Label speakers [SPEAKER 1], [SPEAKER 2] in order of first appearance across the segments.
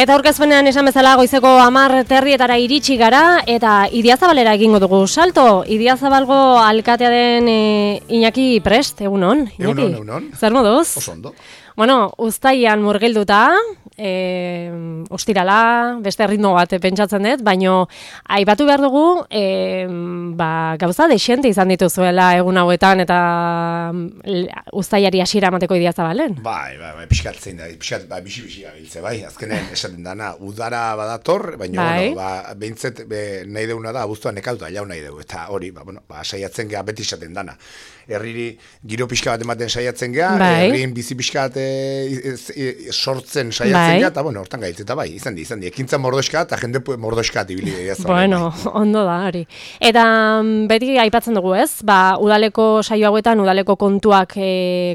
[SPEAKER 1] Eta aurkezpenean esan bezala goizeko 10:30 iritsi gara eta Idiazabalera egingo dugu salto. Idiazabalgo alkatea den Iñaki Prest, egunon.
[SPEAKER 2] Egunon.
[SPEAKER 1] Zer moduz?
[SPEAKER 2] Oso ondo.
[SPEAKER 1] Bueno, uztailan murgilduta, ostirala, beste ritmo bat pentsatzen dut, baino aipatu behar dugu, gauza dexente izan dituzuela egun hauetan eta uztailari hasiera emateko Idiazabalen.
[SPEAKER 2] Bai, pixkat zein da, bixi gabiltze, bai, azkenen esaten dana, udara badator, baina,
[SPEAKER 1] bai.
[SPEAKER 2] Behintzet nahi deuna da, abuztuan nekauta, jau nahi dugu, eta hori, saiatzen geha beti esaten dana. Herriri giro pixka bat ematen saiatzen geha,
[SPEAKER 1] bai.
[SPEAKER 2] herrien bizi pixka bat sortzen saiatzen geha, eta hortan gaitz, eta bai, izan di, ekintza mordoska eta jende mordoska ibili Idiazabalen.
[SPEAKER 1] Bueno, ondo da, hori. Eta beti aipatzen dugu ez, udaleko saio hauetan, udaleko kontuak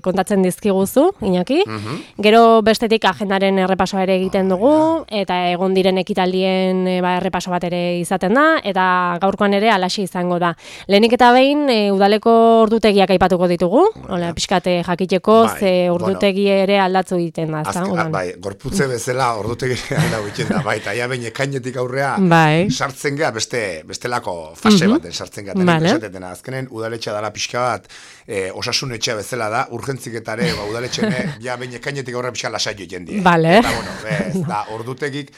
[SPEAKER 1] kontatzen dizkiguzu, Iñaki. Gero bestetik agendaren errepasoa ere egiten dugu, eta egon diren ekitaldien errepaso bat ere izaten da, eta gaurkoan ere alaxe izango da. Lehenik eta behin, udaleko ordutegiak aipatuko ditugu, pixkate jakiteko, ze ordutegi ere aldatzu egiten da.
[SPEAKER 2] Bai, gorputze bezala ordutegi aldago egiten da, bai, eta ja behin ekainetik aurrea sartzen geha bestelako fase baten sartzen geha. Esatetena, azkenen udaletxea dala pixka bat, osasun etxea bezala da, urgentziketare, udaletxene, ja behin ekainetik aurrea pixka lasaio egiten die. Eta ordutegik,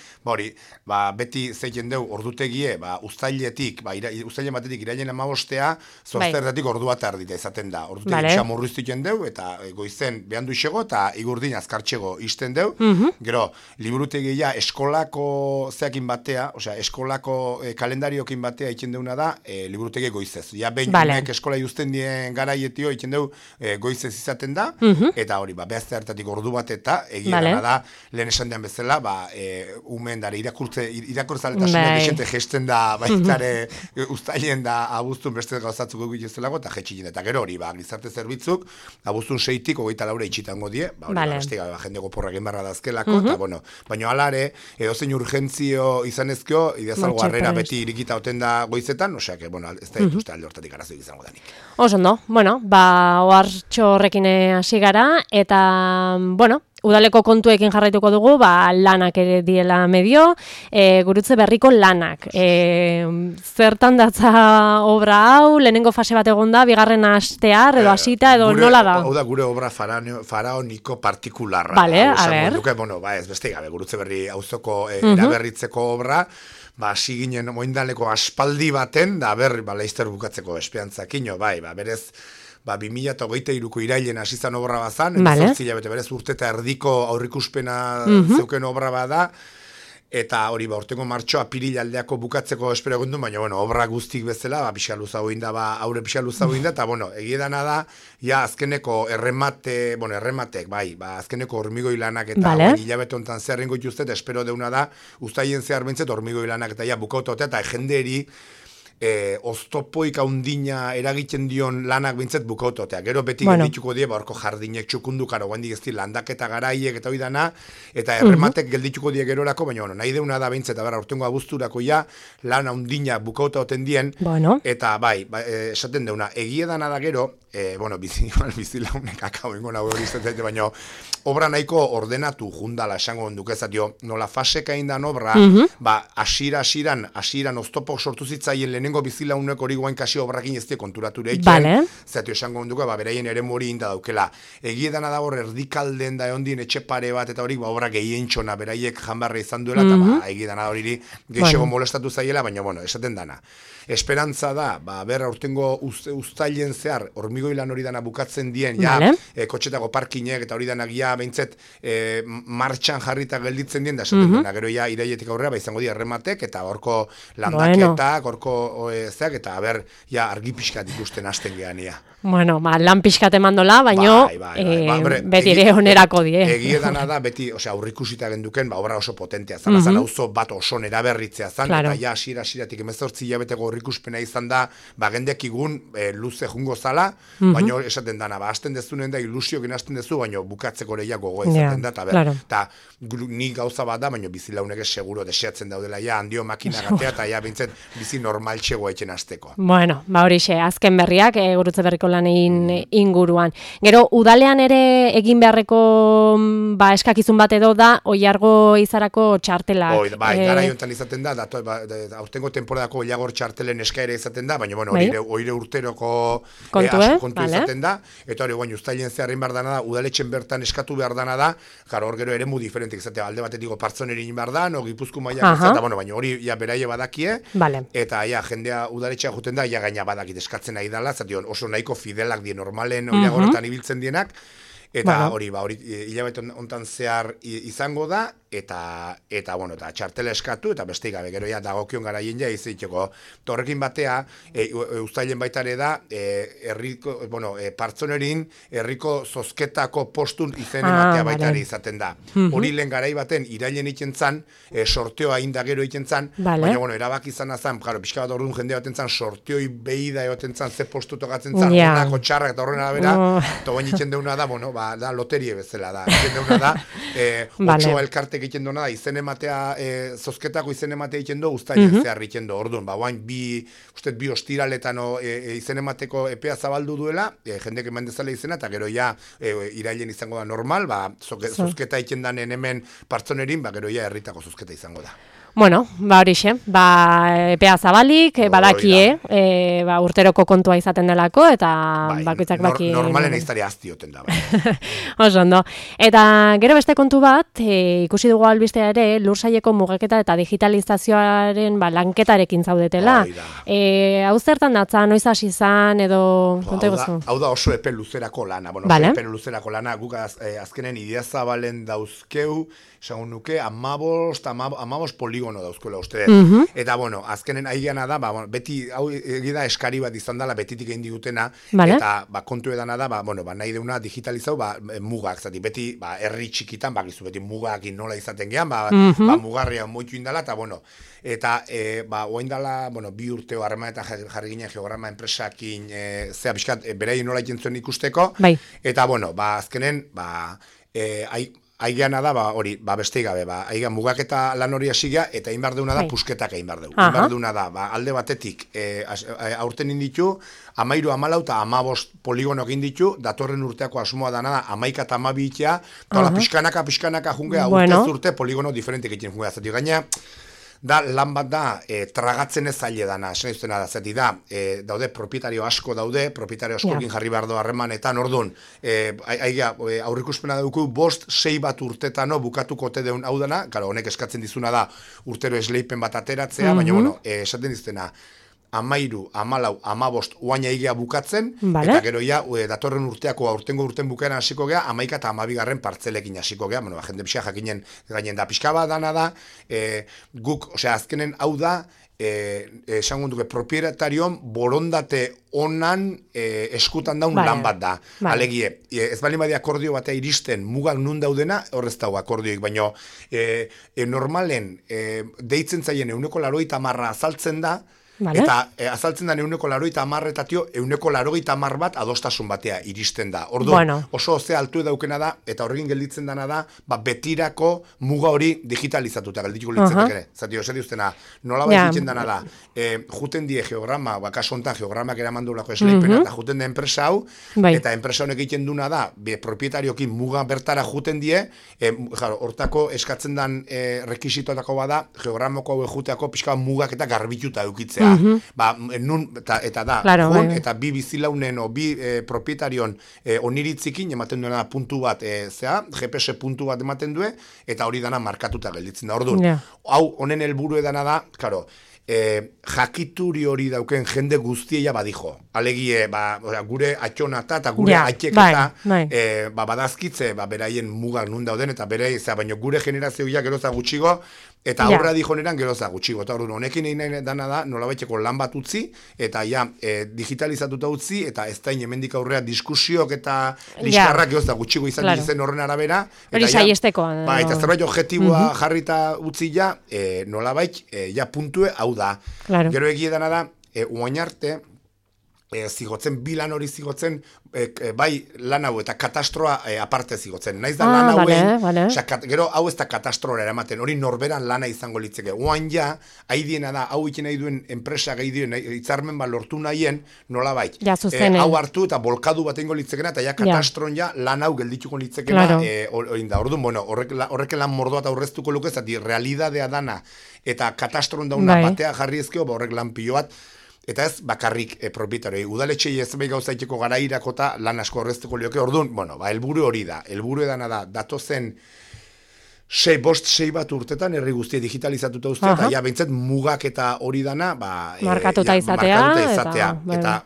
[SPEAKER 2] beti zeiten dugu ordutegie, uztailetik, uztailen batetik irailen 15, zoazterdatik ordu bat ardita izaten da. Ordutegi pixka murriztu egiten dugu, eta goizen behandu isego, eta igurdin azkartxego izten dugu. Gero, liburutegia eskolako zeakin batea, eskolako kalendariokin batea egiten deuna da, liburutegi goizez. Ja, behin eskola juzten dien garaietio egiten dugu goizez izaten da, eta hori, behazte hartatik ordu bat eta egia da, lehen esan den bezala, umen dara irakurtzaletasuna desente gesten da, baitare uztailen da abuztun beste gauzatzuk egituzelago, eta jetxilin. Eta gero hori, gizarte zerbitzuk, abuztun 6-tik 24 itxitango die, jendeko porra egin barra dazkelako, eta baina alare, edozein urgentzio izanezkio, Idiazabal harrera beti irikita oten da goizetan, osea, ez da dituzte alde hortatik arazoik izango danik.
[SPEAKER 1] Oso ondo, ohartxo horrekin hasi gara, eta, udaleko kontuekin jarraituko dugu, lanak ere diela medio, gurutze berriko lanak. Zertan datza obra hau, lehenengo fase bat egon da, bigarren astear, edo hasita, edo nola da?
[SPEAKER 2] Hau da gure obra faraoniko partikularra. Ez beste gabe, gurutze berri auzoko eraberritzeko obra, hasi ginen moindaleko aspaldi baten, da leizter bukatzeko espiantzakino, berez, 2023ko irailen hasi zan obra bazan, berez urte eta erdiko aurrikuspena zeuken obra bada, eta hori urtengo martxo apiril aldeako bukatzeko espero egun du, baina obra guztik bezala, pixka luzago inda, aurre pixka luzago inda, eta egidana da, azkeneko errematek, azkeneko hormigoi lanak eta hilabete honetan zeharrengo ituztet, espero deuna da, uztaien zehar bintzet hormigoi lanak eta bukautotea, eta jenderi oztopoik haundina eragiten dion lanak bintzet bukautotea. Gero beti geldituko die, horko jardinek txukundukaro, guendik ez di landaketa garaiek eta hoi dana, eta errematek geldituko die gerorako, baina nahi deuna da bintzet, urtengo abuzturako lan haundina bukauta oten dien, eta esaten deuna, egiedana da gero, bizilaunek akau ingo nago hori izatea, baina obra nahiko ordenatu jundala esango dukezatio, nola faseka indan obra, asiran oztopok sortu zitzaien lehenengo bizilaunek hori guain kasi obrakin ez die konturature eiken, zatio esango duke, beraien ere mori inda daukela. Egiedana da hor erdikalden da ondien etxe pare bat, eta hori obra gehien txona, beraiek janbarra izan duela, eta egiedana hori geixego molestatu zaiela, baina esaten dana. Esperantza da, urtengo uztailen zehar, hormigoi lan hori dana bukatzen dien, kotxetako parkinek eta hori dana gia behintzet martxan jarrita gelditzen dien, da esaten dena, gero iraietik aurrera, izango dira errematek, eta horko landaketak, horko zeak, eta argi pixkat ikusten hasten gehan ia.
[SPEAKER 1] Lan pixkat emandola, baina beti ere onerako die.
[SPEAKER 2] Egiedana da, beti, aurrikusita genduken, obra oso potentea zan, azan auzo bat oso nera berritzea zan, eta asiratik 18 hilabeteko aurrikuspena izan da, gendek igun luze jungo zala, baina esaten dana, hasten dezunen da, ilusiokin hasten dezu, baina bukatzeko leia gogo izaten da, eta ni gauza bat da, baina bizilaunek seguro deseatzen daudela, handio makina gatea, eta bintzet bizi normal txegoa etxen azteko.
[SPEAKER 1] Bueno, horixe, azken berriak, Gurutze Berriko lanein inguruan. Gero, udalean ere egin beharreko eskakizun bat edo da, Oiargo izarako txartelak.
[SPEAKER 2] Gara jontan izaten da, aurtengo temporadako Oiargo txartelen eskaera izaten da, baina oire urteroko kontu izaten da, eta hori guain ustailen zeharrin behar dana da, udaletxen bertan eskatu behar dana da, hor gero ere mu diferentik izatea, alde batetiko partzonerin behar da, no Gipuzko maiak eta baina hori beraie badakie, eta jendea udaletxea juten da, gaina badakit eskatzen nahi dela, zation oso nahiko fidelak die normalen Oiargoretan ibiltzen dienak, eta hori hilabete hontan zehar izango da, eta txartela eskatu, eta beste gabe, gero dagokion garaien iziteko. Horrekin batea, uztailen baitare da, partzonerin herriko zozketako postun izen ematea baitare izaten da. Hori lehen garai baten, irailen iten zan, sorteoa inda gero iten zan, baina erabak izan azan, pixka bat orduan jende baten zan, sorteoi behi da egoten zan, ze postu tokatzen zan, honako txarrak eta horren arabera, eta bain iten deuna da, da loterie bezala da, iten deuna da, otxoa elkarte egiten duena da, izen ematea, zozketako izen ematea egiten du, uztailen zehar egiten du, orduan, bain bi ostiraletan izen emateko epea zabaldu duela, jendek eman dezala izena, eta gero irailen izango da normal, zozketa egiten danen hemen partzonerin, gero herritako zozketa izango da.
[SPEAKER 1] Bueno, horixe, epea zabalik, badakie, urteroko kontua izaten delako, eta bakoitzak baki...
[SPEAKER 2] Normalen eiztari aztioten da.
[SPEAKER 1] Oso ondo. Eta gero beste kontu bat, ikusi dugu albistea ere, Lursaileko mugaketa eta digitalizazioaren lanketarekin zaudetela. Hau zertan datza, noiz hasi izan, edo...
[SPEAKER 2] Hau da oso epe luzerako lana. Epe luzerako lana, guk azkenen Idiazabalen dauzkeu, esan nuke, 15 poligono dauzkoela uste. Eta, azkenen aigana da, beti, hau egida eskari bat izan dela, betitik egin digutena, eta kontu edana da, nahi deuna digitalizau, mugak, zati, beti, herri txikitan, gizu, beti mugakin nola izaten gehan, mugarria moitu indala, eta, oain dala, 2 urteo harrema eta jarri ginen geograma enpresakin, zea, bizkat, beraien nola ikentzuen ikusteko, eta, azkenen, aigeana da, hori, beste gabe, aigean mugaketa lan hori hasiga, eta egin behar deuna da, pusketak egin behar dugu. Egin behar deuna da, alde batetik, aurten inditu, 13, 14 eta 15 poligono egin ditu, datorren urteako asmoa dana da, 11 eta 12 itea, eta pixkanaka jungea, urte poligono diferentik egiten jungea, zati gaina, da lan bat da tragatzen ez zaile dana, esan izutena da, zati da, daude propietario asko daude, propietario askokin jarri behar du harremanetan, orduan, aurrikuspena dugu 5-6 bat urtetano bukatuko ote deun hau dana, honek eskatzen dizuna da urtero esleipen bat ateratzea, baina, esaten dizutena, 13, 14, 15 oaina egia bukatzen, eta gero datorren urteako aurtengo urten bukaeran hasiko gea, 11 eta 12 partzelekin hasiko gea, jende pixka jakinen gainen da pixka bat dana da, guk, azkenen hau da, esango duke, propietatarion borondate onan eskutan daun lan bat da. Alegie, ez bali badia akordio batea iristen mugak nun daudena, horrez dago akordioik, baina normalen deitzen zaien 90% azaltzen da, eta azaltzen da 90% eta 90% bat adostasun batea iristen da. Orduan, oso ze altu daukena da, eta horregin gelditzen dana da, betirako muga hori digitalizatuta geldituko litzetek ere. Zati, oseri ustena, nola bat egiten dana da, juten die geograma, kaso honetan geogramak eramandulako esleipena, eta juten da enpresa hau, eta enpresa honek egiten duna da, propietariokin muga bertara juten die, hortako eskatzen dan rekisitoetako bada, geogramako hau ejuteako pixka mugak eta garbituta eukitzea. Eta da, eta bi bizilaunen o bi propietarion oniritzikin ematen duena puntu bat, GPS puntu bat ematen due, eta hori dana markatuta gelditzen da. Orduan, hau honen helburu edana da, jakituri hori dauken jende guztia badijo. Alegie, gure atxonata eta gure atxeketa badazkitze, beraien mugak nun dauden, eta baina gure generazioa geroza gutxigo, eta aurra dijoneran geroza gutxigo. Eta orduan, honekin egin nahi dana da, nolabaiteko lan bat utzi, eta digitalizatuta utzi, eta ez da hemendik aurrea diskusiok eta liskarrak geroza gutxigo izan dizen horren arabera.
[SPEAKER 1] Hori saiesteko.
[SPEAKER 2] Eta zerbait objektiboa jarrita utzi nolabait, puntue hau da. Gero egie dana da, uain arte, zigotzen, bilan hori zigotzen, bai lan hau eta katastroa aparte zigotzen. Naiz da lan hauen, gero hau ez da katastroa eramaten, hori norberan lana izango litzeke. Oan ja, haidiena da, hau ikin nahi duen enpresa gehi duen, hitzarmen lortu nahien, nola bai. Hau hartu eta bolkadu bat ingo litzekena, eta ja katastron ja lan hau geldituko litzekena, hori da. Orduan, bueno, horrek lan mordoa eta aurreztuko luke, zati realidadea dana, eta katastron dauna batea jarri ezkeo, horrek lan pilo bat, eta ez bakarrik propietarioi. Udaletxei ez bai gauzaiteko gara irakota lan asko horreztuko lioke. Orduan, bueno, helburu hori da. Helburu edana da, datozen 6 bat urtetan herri guztia digitalizatuta ustea, eta ja behintzat mugak eta hori dana,
[SPEAKER 1] markatuta izatea.
[SPEAKER 2] Eta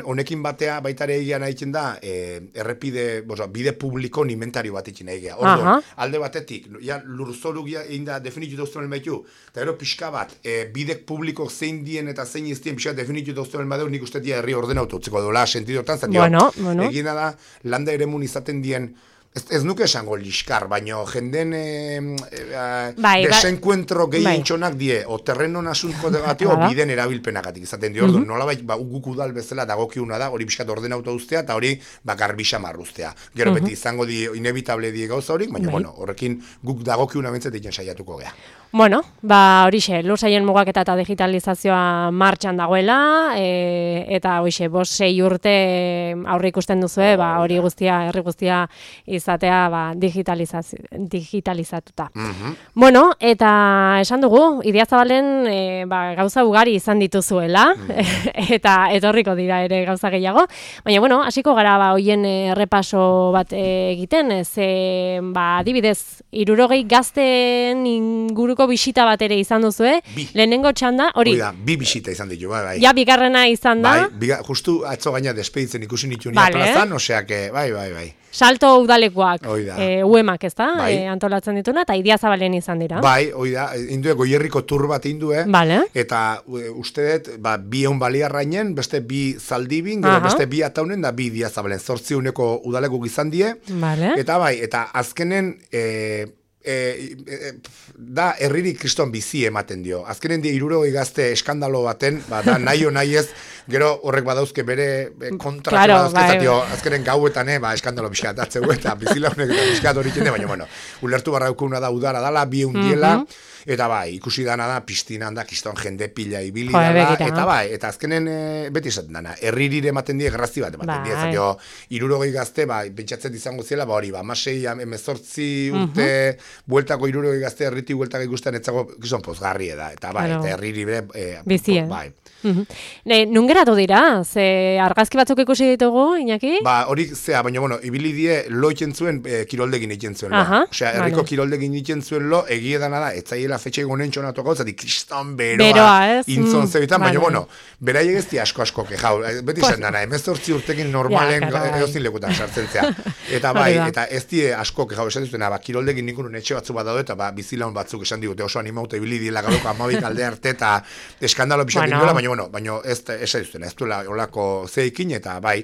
[SPEAKER 2] honekin batea baitare egia nahitzen da, errepide, bide publiko inventario bat ikin egia. Orduan, alde batetik, lurzoru egin da definitu dauzten elmaitu, eta gero pixka bat, bidek publiko zein dien eta zein iztien pixka definitu dauzten elmadeu, nik ustetia herri ordenautu utziko dola, sentidotan, egina da, landa ere mun izaten dien, ez nuke esango liskar, baino jenden desenkuentro gehientxonak die, o terrenon asunko degatio, o biden erabilpenagatik izaten di. Orduan, nola bai, guk udal bezala dagokiuna da, hori biskat ordenauta ustea, eta hori garbisa marruztea. Gero beti izango di, inevitable die gauza horik, baina, bueno, horrekin guk dagokiuna bentzat egin saiatuko gea.
[SPEAKER 1] Bueno, horixe, lursaien mugaketa eta digitalizazioa martxan dagoela, eta hoxe, 5-6 urte aurre ikusten duzue, hori guztia, herri guztia izatea digitalizatuta. Bueno, eta esan dugu, Idiazabalen gauza ugari izan dituzuela, eta etorriko dira ere gauza gehiago, baina, bueno, hasiko gara hoien errepaso bat egiten, adibidez, 60 gazten inguruko bisita bat ere izan duzue, lehenengo txanda, hori.
[SPEAKER 2] Bi bisita izan ditu, bai.
[SPEAKER 1] Ja, bigarrena izan da.
[SPEAKER 2] Bai, justu atzo gaina despeditzen ikusi nitu nia plazan, oseak, bai.
[SPEAKER 1] Salto udalekuak, uemak, ez da, antolatzen dituna, eta Idiazabalen izan dira.
[SPEAKER 2] Bai, oida, indue, Goierriko tur bat indue, eta ustedet, bi egun baliarrainen, beste bi zaldibin, gero beste bi ataunen, da bi Idiazabalen, 8 udalekuk izan die, eta bai, eta azkenen, da herririk kriston bizi ematen dio. Azkenen die 60 gazte eskandalo baten, da nahi o nahi ez, gero horrek badauzke bere kontratu badauzke, azkenen gauetan eskandalo pixkat atzeu eta bizilaunek eta pixkat hori jende, baina, bueno, ulertu barra dukuna da udara dala, bi undiela, eta bai, ikusi dana da, piztinan da, kiston jende pila ibili dala, eta bai, eta azkenen beti esaten dana, herririre ematen die, grazti bat ematen die, zatio, 60 gazte, pentsatzen izango zela, hori, 16, 18 urte, bueltako 60 gazte, herriti bueltako ikusten, etzago, kiston pozgarri da, eta bai, eta herririre,
[SPEAKER 1] bizi, bai. Nun geratu dira? Ze argazki batzuk ikusi ditugu, Iñaki?
[SPEAKER 2] Hori zea, baina, bueno, ibili die lo itzen zuen, kiroldegin itzen zuen lo. Osea, herriko kiroldegin itzen zuen lo, egie dana da, etzaiela fetxe gonen txonatuko, zati kriston beroa intzon zebitan, baina, bueno, berai egezti asko kejau, beti zen dana, 18 urtekin normalen eozin lekutan sartzen zea. Eta bai, eta ez die asko kejau, esan duzena, kiroldegin nikunun etxe batzu bat daude, eta bizilaun batzuk esan digute, oso animauta ibili diela galoko 12 alde arte, eta eskandalo pixatik duela, baina ez duzena, ez duela olako zeikin, eta bai,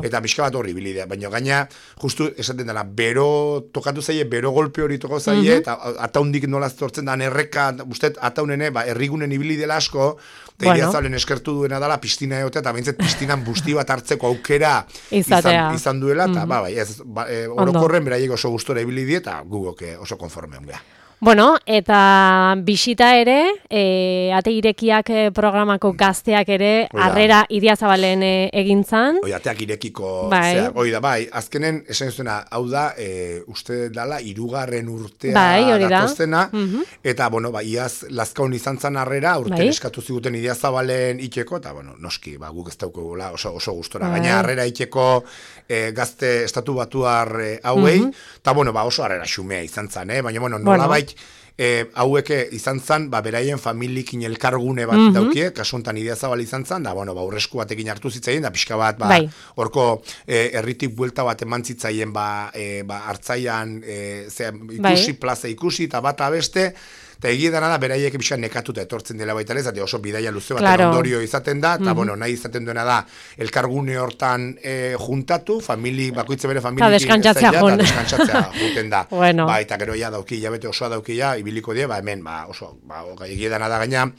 [SPEAKER 2] eta pixka bat horri bilidea, baina gaina, justu esaten dela, bero, tokatu zaie, bero golpe hori toko zaie, eta ataundik nolaz tortzen da, erreka, usted, ataunene, errigunen ibili dela asko, eta Idiazabalen eskertu duena dela, piztina egotea, eta behintzet piztinan busti bat hartzeko aukera izan duela, eta bai, orokorren beraiek oso gustora ibili die, eta gugok oso konforme ongea.
[SPEAKER 1] Bueno, eta bisita ere, ate irekiak programako gazteak ere, harrera Idiazabalen egintzan.
[SPEAKER 2] Ateak irekiko, bai, azkenen, esan zuena, hau da, uste dala, 3. urtea datoztena, eta, bueno, iaz, lazkaun izan zan harrera, urten eskatu ziguten Idiazabalen itxeko, eta, bueno, noski, guk ez daukagula oso gustora. Gaina harrera itxeko gazte estatu batuar hauei, eta, bueno, oso harrera xumea izan zan, baina, bueno, nola bait, haueke izan zan, beraien familikin elkargune bat daukie, kasuntan Idiazabal izan zan, da, bueno, urresku batekin hartu zitzaien, da, pixka bat, horko herritik buelta bat eman zitzaien, hartzaian, ikusi, plaza ikusi, eta bat abeste, eta egia dana da, beraiek pixka nekatuta etortzen dela baita ez, oso bidaia luze bat ondorio izaten da, eta, bueno, nahi izaten duena da, elkargune hortan juntatu, bakoitze bere familiekin,
[SPEAKER 1] eta
[SPEAKER 2] deskantzatzea juten da. Eta gero ja dauki, jabete osoa dauki ja, ibiliko die, hemen, oso, egia dana da gaina,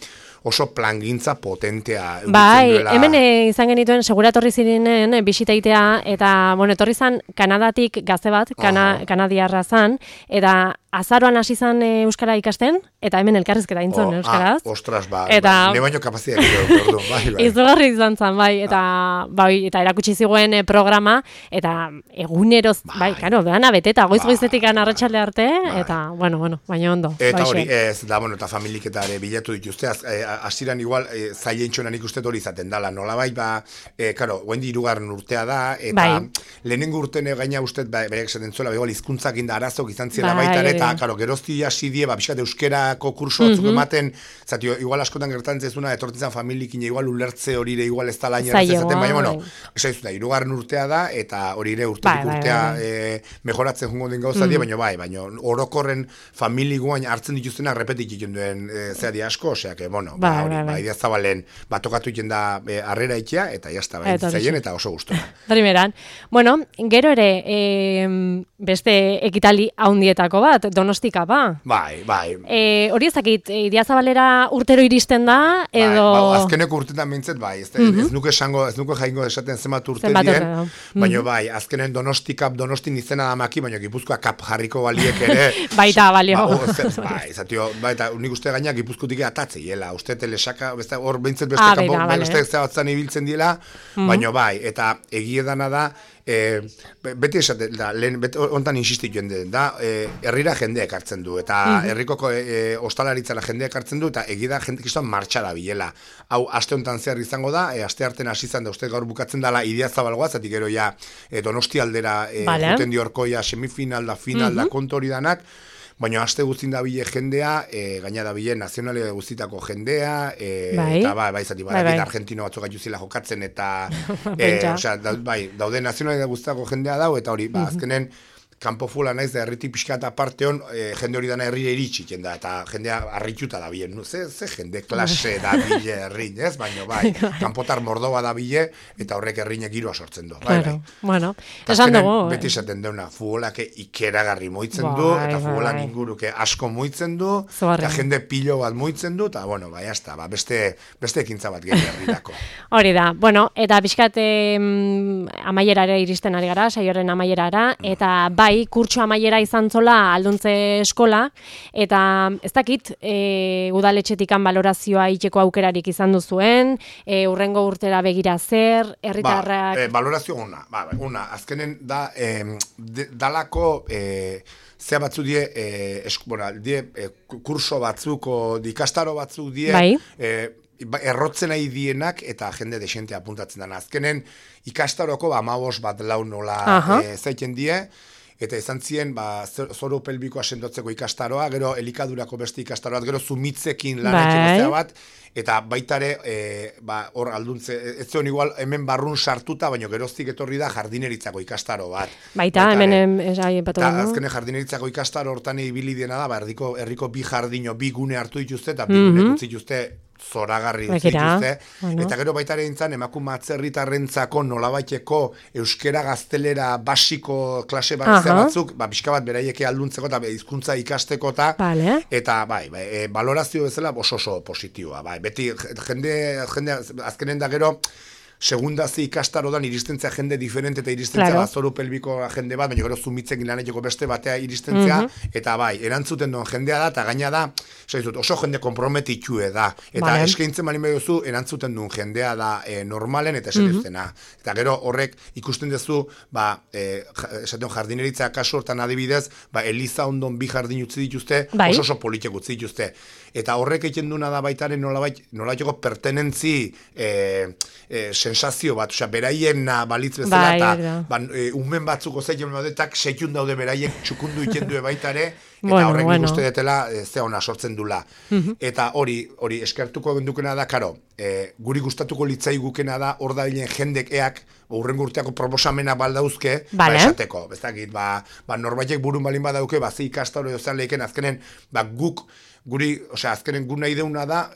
[SPEAKER 2] oso plangintza potentea.
[SPEAKER 1] Bai, hemen izan genituen seguratorri zirenen bisitaitea, eta, bueno, etorri zan Kanadatik gazte bat, kanadiarra zan, eta azaroan hasi zan euskara ikasten, eta hemen elkarrizketa intzon euskaraz.
[SPEAKER 2] Ostras, ne baino kapazia egin, bai.
[SPEAKER 1] Izugarri izan zan, bai, eta erakutsi ziguen programa, eta eguneroz, bai, karo, dana beteta, goiz-goizetik arratsalde arte, eta, bueno, baina ondo.
[SPEAKER 2] Eta hori, eta familik eta ere bilatu dituzte, hasiran igual, zaientxonan ikusten hori izaten dala, nolabait, karo, guendi 3. urtea da, eta lehenengo urten gaina ustez, baiak esaten zuela, hizkuntzak inda arazok izan ziela baita, eta, karo, gerozti hasi die, pixkat euskerako kurso batzuk ematen, zati, igual askotan gertatzen zezuna, etortzen familikin, igual ulertze hori ere, igual ez da laina errezaten, baina, bueno, esaizu da, 3. urtea da, eta hori ere urtetik urtea mejoratzen jungo den gauza die, baina orokorren famili guain hartzen dituztenak repetik egiten duen zehadi asko, osea, bueno, idea zabalen, tokatu egiten da harrera itea, eta jazta, zaien, eta oso guztua.
[SPEAKER 1] Primeran, bueno, gero ere, beste ekitali haundietako bat, Donostika,
[SPEAKER 2] Bai.
[SPEAKER 1] Hori ezakit, Idiazabalera urtero iristen da, edo...
[SPEAKER 2] Azkeneko urtetan mintzet, bai, ez nuke jaingo esaten zenbat urte dien, baina bai, azkenen Donostin izena da maki, baina Gipuzkoa kap jarriko baliek ere...
[SPEAKER 1] Baita, balio.
[SPEAKER 2] Bai, eta unik uste gaina Gipuzkotik atatzeiela, uste telesaka, hor behintzet beste kanpo, beste zabatzan ibiltzen diela, baina bai, eta egiedana da, beti esaten da, ontan insistituen da, herrira jendeak hartzen du, eta herrikoko ostalaritzara jendeak hartzen du, eta egida jendekiztuan martxara bilela. Hau, aste hontan zehar izango da, aste arten hasi izan da, uste gaur bukatzen dala Idiazabalgoa, zatik gero ja Donosti aldera juten diorko ja semifinal da, final da, kontori danak, baina aste guztin da bile jendea, gaina da bile nazionalia guztitako jendea, eta zati, argentino batzuk gaituzila jokatzen, eta daude nazionalia guztitako jendea dau, eta hori, azkenen, kanpo fula naiz da herritik pixka eta parte hon, jende hori dana herrira iritsi da, eta jendea harrituta da bile, ze jende klase da bile herrin, ez? Baina kanpotar mordoba da bile, eta horrek herrinek giroa sortzen du.
[SPEAKER 1] Bueno, esan dugu.
[SPEAKER 2] Beti esaten deuna, futbolak ikeragarri moitzen du, eta futbolak inguruke asko moitzen du, eta jende pilo bat moitzen du, eta, bueno, jazta, beste ekintza bat gero herrirako.
[SPEAKER 1] Hori da, bueno, eta pixkat amaierara iristen ari gara, saioren amaierara, eta bai, kurtso amaiera izan zola alduntze eskola, eta ez dakit, udaletxetikan balorazioa itxeko aukerarik izan duzuen, urrengo urtera begira zer, herritarrak...
[SPEAKER 2] Balorazio una, azkenen da, dalako... Zea batzu kurso batzuko, ikastaro batzuk errotzen nahi dienak eta jende desente apuntatzen dena. Azkenen ikastaroko 15 bat lau nola zaiten die, eta izan ziren zoru pelbikoa sendotzeko ikastaroa, gero elikadurako beste ikastaroa, gero zumitzekin lanekin bat, eta baitare hor alduntze, ez zion igual hemen barrun sartuta, baina geroztik etorri da jardineritzako ikastaro bat.
[SPEAKER 1] Baita, hemen
[SPEAKER 2] eta azkene jardineritzako ikastaro hortan ibili diena da, herriko bi jardino, bi gune hartu dituzte, eta bi gune utzi dituzte zoragarri dituzte, eta gero baita ere intzan emakume atzerritarrentzako nolabaiteko euskera gaztelera basiko klase batzuk, pixka bat beraieke alduntzeko eta hizkuntza ikasteko eta balorazio bezala oso positiboa, beti jende azkenen da gero segundazi ikastarodan iristentzea jende diferente eta iristentzea zoru pelbiko jende bat, baina gero zumitzekin laneteko beste batea iristentzea, eta erantzuten duen jendea da, eta gaina da, oso jende komprometitue da, eta eskaintzen bali mediozu, erantzuten duen jendea da normalen eta esaten eta gero horrek ikusten duzu, esaten jardineritza kasu hortan adibidez, Eliza ondon bi jardin utzi dituzte, oso politek utzi dituzte, eta horrek egiten duna da baitaren nolabaiteko pertenentzi sensazio bat, beraien balitz bezala, eta unmen batzuko zeitzen badetak seikun daude beraiek txukundu ikendue baitare, eta horrek nik uste detela ze ona sortzen dula. Eta hori eskertuko gendukena da, karo, guri gustatuko litzai gukena da, hor da bilen jendek eak, urrengo urteako proposamena baldauzke, esateko, bezakit, norbaitek burun balin badauke, ze ikastaro edo leiken, azkenen, guk, azkenen gu nahi deuna da,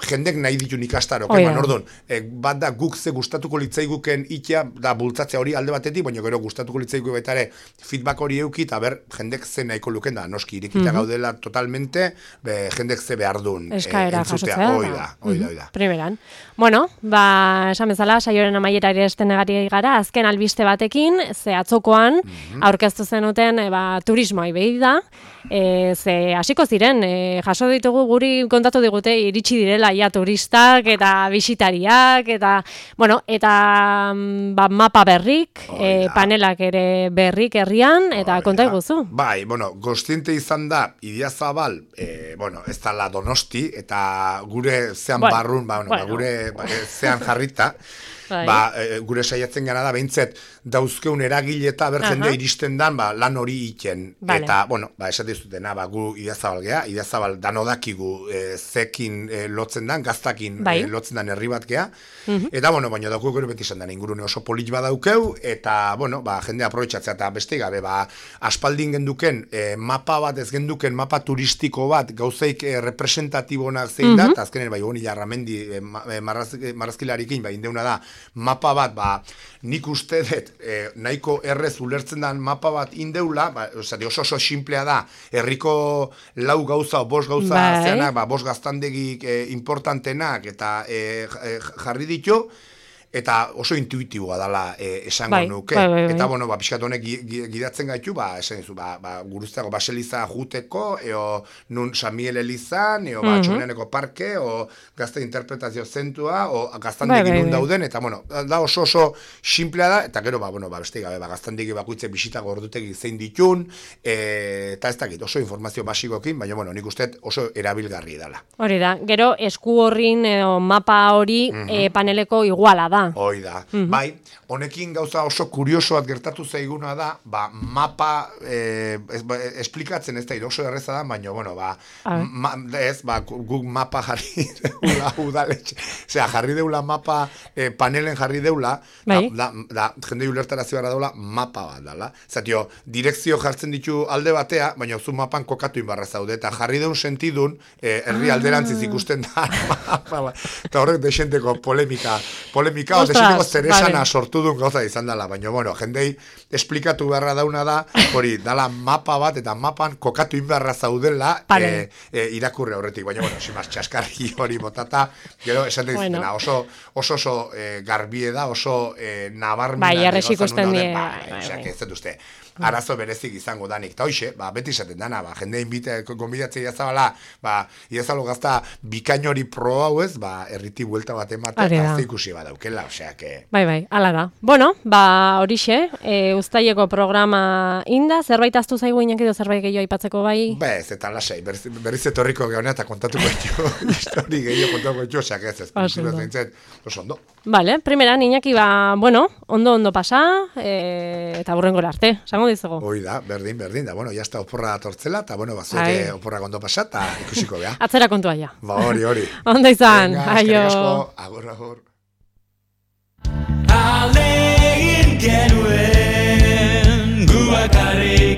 [SPEAKER 2] jendek nahi ditun ikastaro, orduan, bat da guk ze gustatuko litzaiguken itea, da bultzatzea hori alde batetik, baina gero gustatuko litzaiguke betare feedback hori euki, eta ber, jendek ze nahiko luken da, noski noski, irekita gaudela totalmente, jendek ze behar duen.
[SPEAKER 1] Eskaera jasotzea.
[SPEAKER 2] Oida.
[SPEAKER 1] Primeran. Bueno, esan bezala, saioaren amaierari estenegari gara, azken albiste batekin, ze atzokoan, aurkeztu zenuten, turismoa behi da, ze hasiko ziren, jaso ditugu guri kontatu digute, iritsi direla ja turistak eta bisitariak, eta mapa berrik, panelak ere berrik herrian, eta konta iguzu.
[SPEAKER 2] Bai, kontziente izan da, Idiazabal, ez da Donosti, eta gure zean barrun, gure zean jarrita, gure saiatzen gana da, behintzet, dauzkeun eragile eta jende iristen dan, lan hori iten. Eta, esate zutena, gu Idiazabal gea, Idiazabal danodakigu zekin lotzen dan, gaztakin lotzen dan herri bat gea, eta, baina daukeu gero beti izan dan, ingurune oso polit badaukeu, eta, jende aprobetxatzea, eta beste gabe, aspaldin genduken, mapa bat, ez genduken mapa turistiko bat, gauzeik representatibonak zein da, eta azkenen, honi jarramendi marrazkilarikin, indeuna da, mapa bat, nik uste dut, nahiko errez ulertzen den mapa bat indeula, oso simplea da, herriko lau gauza o bost gauza zeanak, bost gaztandegik importantenak, eta jarri ditu, eta oso intuitiboa dela esango nuke. Eta, pixkat honek gidatzen gaitu, esan dizu, guruztako baseliza juteko, nun Samiel Elizan, Txomeneko parke, gazte interpretazio zentua, gaztandegi nun dauden, eta, da oso simplea da, eta gero, beste gabe, gaztandegi bakuitze bisitako ordutegi zein ditun, eta ez dakit, oso informazio basikokin, baina, nik uste oso erabilgarri dela.
[SPEAKER 1] Hori da, gero esku horrin mapa hori paneleko iguala da.
[SPEAKER 2] Hoi da. Bai, honekin gauza oso kuriosoat gertatu zaiguna da, mapa esplikatzen ez da, oso erreza da, baina, guk mapa jarri deula udaletxe. Osea, jarri deula mapa, panelen jarri deula, da jende ulertarazio gara deula, mapa bat dala. Zatio, direkzio jartzen ditu alde batea, baina zu mapan kokatu inbarra zaude, eta jarri deun sentidun, herri alderantziz ikusten da, eta horrek desenteko polemika, desenteko zeresana sortu duen gauza izan dela, baina, jendei esplikatu beharra dauna da, hori, dala mapa bat, eta mapan kokatu inbarra zaudela irakurre horretik, baina, simaz, txaskarri hori botata, gero, esan dizutena, oso garbie da, oso nabarmena.
[SPEAKER 1] Bai, erresik usten die.
[SPEAKER 2] Ez dut uste. Arazo berezik izango danik. Ta hoxe, beti esaten dana, jende gonbidatzea Idiazabala, Idiazabalo gazta bikainori pro hau ez, erriti buelta bat ematen, gazte ikusi badaukela, osea, que...
[SPEAKER 1] Bai, ala da. Bueno, horixe, uztaileko programa inda, zerbait aztu zaigu inak edo zerbait gehiago aipatzeko bai?
[SPEAKER 2] Bez, eta lasai, berriz etorriko gehonean eta kontatuko ditu, histori gehiago kontatuko ditu, osea, ez, oso ondo.
[SPEAKER 1] Vale, primeran, Iñaki, ondo pasa, eta burrengora arte, esango dizugu.
[SPEAKER 2] Hoi da, berdin, da, jazta oporra atortzela, eta, zueke oporra ondo pasa, eta ikusiko beha.
[SPEAKER 1] Atzera kontua ja.
[SPEAKER 2] Hori.
[SPEAKER 1] Ondo izan, aio.
[SPEAKER 2] Agur.
[SPEAKER 3] Alegin genuen guakare